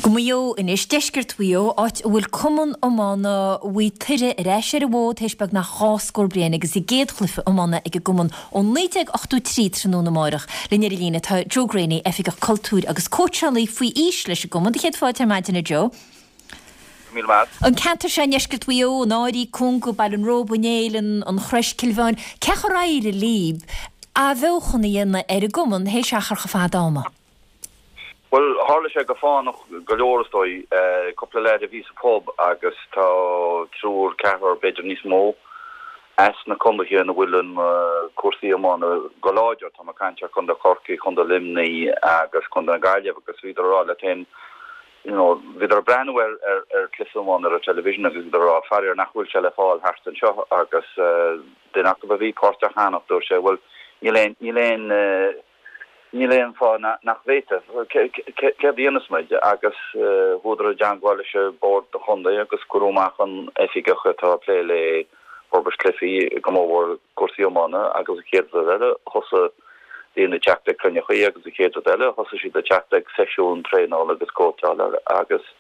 Go Maigh Eo anois, deisceart Mhaigh Eo, áit a bhfuil Cumann Iomána Mhaigh Tuireadh ar ais ar an bhfód théis beagnach 2 scór bliain agus a gcéad chluiche iomána ag an gcumann ó 1983 tráthnóna amárach. Linn ar an líne tá Joe Greaney, Oifigeach Cultúir agus cóitseálaí faoi aois leis an gcumann. Do chéad fáilte ar maidin a Joe. Go míle maith. An ceantar seo i ndeisceart Mhaigh Eo, an Áirí, Conga, Baile an Róba, an Éill, an Chrois, Cill Mheáin, cé chor éirigh libh athbheochan a dhéanamh ar an gcumann théis achar chomh fada ama? Bhuel, tharla sé go fánach go leor is dóigh. Cúpla leaid a bhí sa phub agus tá triúr, ceathrar, b'fhéidir níos mó, as na condaetha ina bhfuil an cúrsaí iomána go láidir, tá mé ag caint ar Chondae Chorcaí, Condae Luimnigh agus Condae na Gaillimhe agus bhíodar ag rá leo féin, you know, bhíodar ag breathnú ar ar cluiche iomána ar an television agus bhíodar ag rá faraor nach bhfuil sé le fáil thart anseo agus duine acu a bhí páirteach cheana, dúirt sé, bhuel, níl aon, níl aon, Níl aon fáth nach bhféadfadh. Céard a dhéanfas muid? Agus chuadar i dteangmháil leis an bord do chontae agus cuireadh amach an oifigeach atá ag plé le forbairt cluichí, go mórmhór cúrsaí iomána, agus an chéad rud eile thosaigh daoine ag teacht ag cruinneachaí agus an chéad rud eile thosaigh siad ag teacht ag seisiúin traenála agus cóitseála agus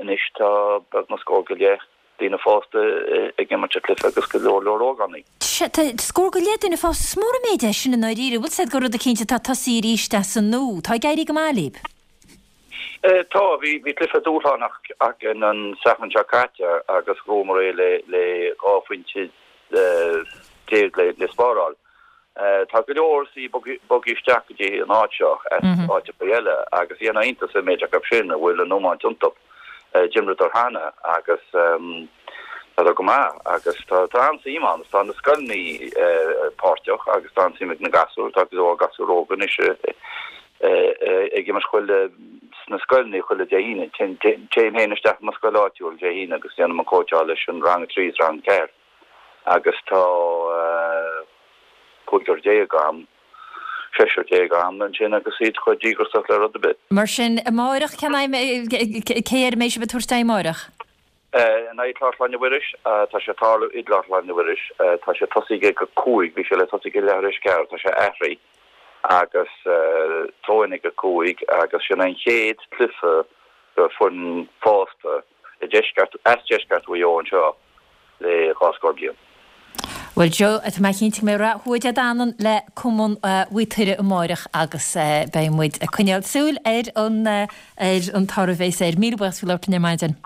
anois tá beagnach scór go leith daoine fásta ag imirt an cluiche agus go leor leor ógánaigh. Sea, tá scór go leith duine fásta. Is mór an méid é sin i ndáiríre. Bhfuil 's a'd gur rud eicínt atá tosaithe arís as an nua. Tá ag éirí go maith libh. Tá. Bhí cluiche dúshlánach againn an Satharn seo caite agus ghnóthaíomar é le 12 phointe le spáráil. Tá go leor sí bogtha isteach go dtí an áit seo as áiteacha eile agus dhéanfá iontas an méid acu sin a bhfuil an iomáint iontu. D'imríodar cheana agus tá go maith agus tá an-suim ann agus tá na scoileanna páirteach agus tá an-suim ag na gasúir, tá go leor gasúir óga anois ag imirt chuile sna scoileanna chuile Dé hAoine. Téim féin isteach i mo scoil áitiúil Dé hAoine agus déanaim an cóitseáil leis an rang 3 is rang 4. agus tá cúigear déag agam, seisear déag agam ansin agus iad chomh díograiseach le rud ar bith. Mar sin, amáireach, cén aghaidh, cé air a mbeidh sibh ag tabhairt aghaidh amáireach? In aghaidh Chlár Chlainne Mhuiris, tá sé ag tarlú i gClár Chlainne Mhuiris, tá sé tosaithe ag a 5, bhí sé le tosaí ag leathuair tar éis 4, tá sé athraithe agus throw-in ag a 5 agus sin an chéad cluiche do foireann fásta i deisceart, as deisceart Mhaigh Eo anseo le dhá scór bliain. Bhuel Joe, tá mé cinnte go mbeidh rath Thuatha Dé Danann le Cumann Mhaigh Tuireadh amáireach agus beidh muid ag coinneáil súil ar an ar an toradh a bheas air. Míle buíochas faoi labhairt linn ar maidin.